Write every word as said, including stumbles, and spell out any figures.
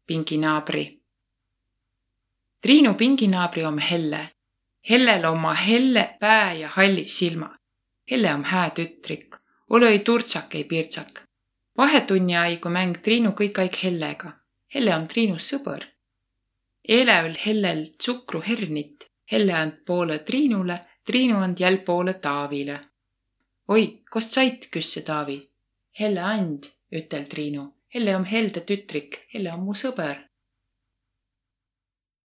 Pinginaabri. Triinu pinginaabri om Helle. Hellel omma helle pää ja halli silma. Helle om hää tütrik, olõ-i turtsak ei pirtsak. Vahetunni aigu mäng Triinu kõik aig Hellega. Helle om Triinu sõbõr. Eeläül Hellel tsukruhernit. Helle and poolõ Triinule, Triinu and jäl poolõ Taavile. Oi, kos sait, küsse Taavi. Helle and, ütel Triinu. Helle om helde tütrik, Helle om mu sõbõr.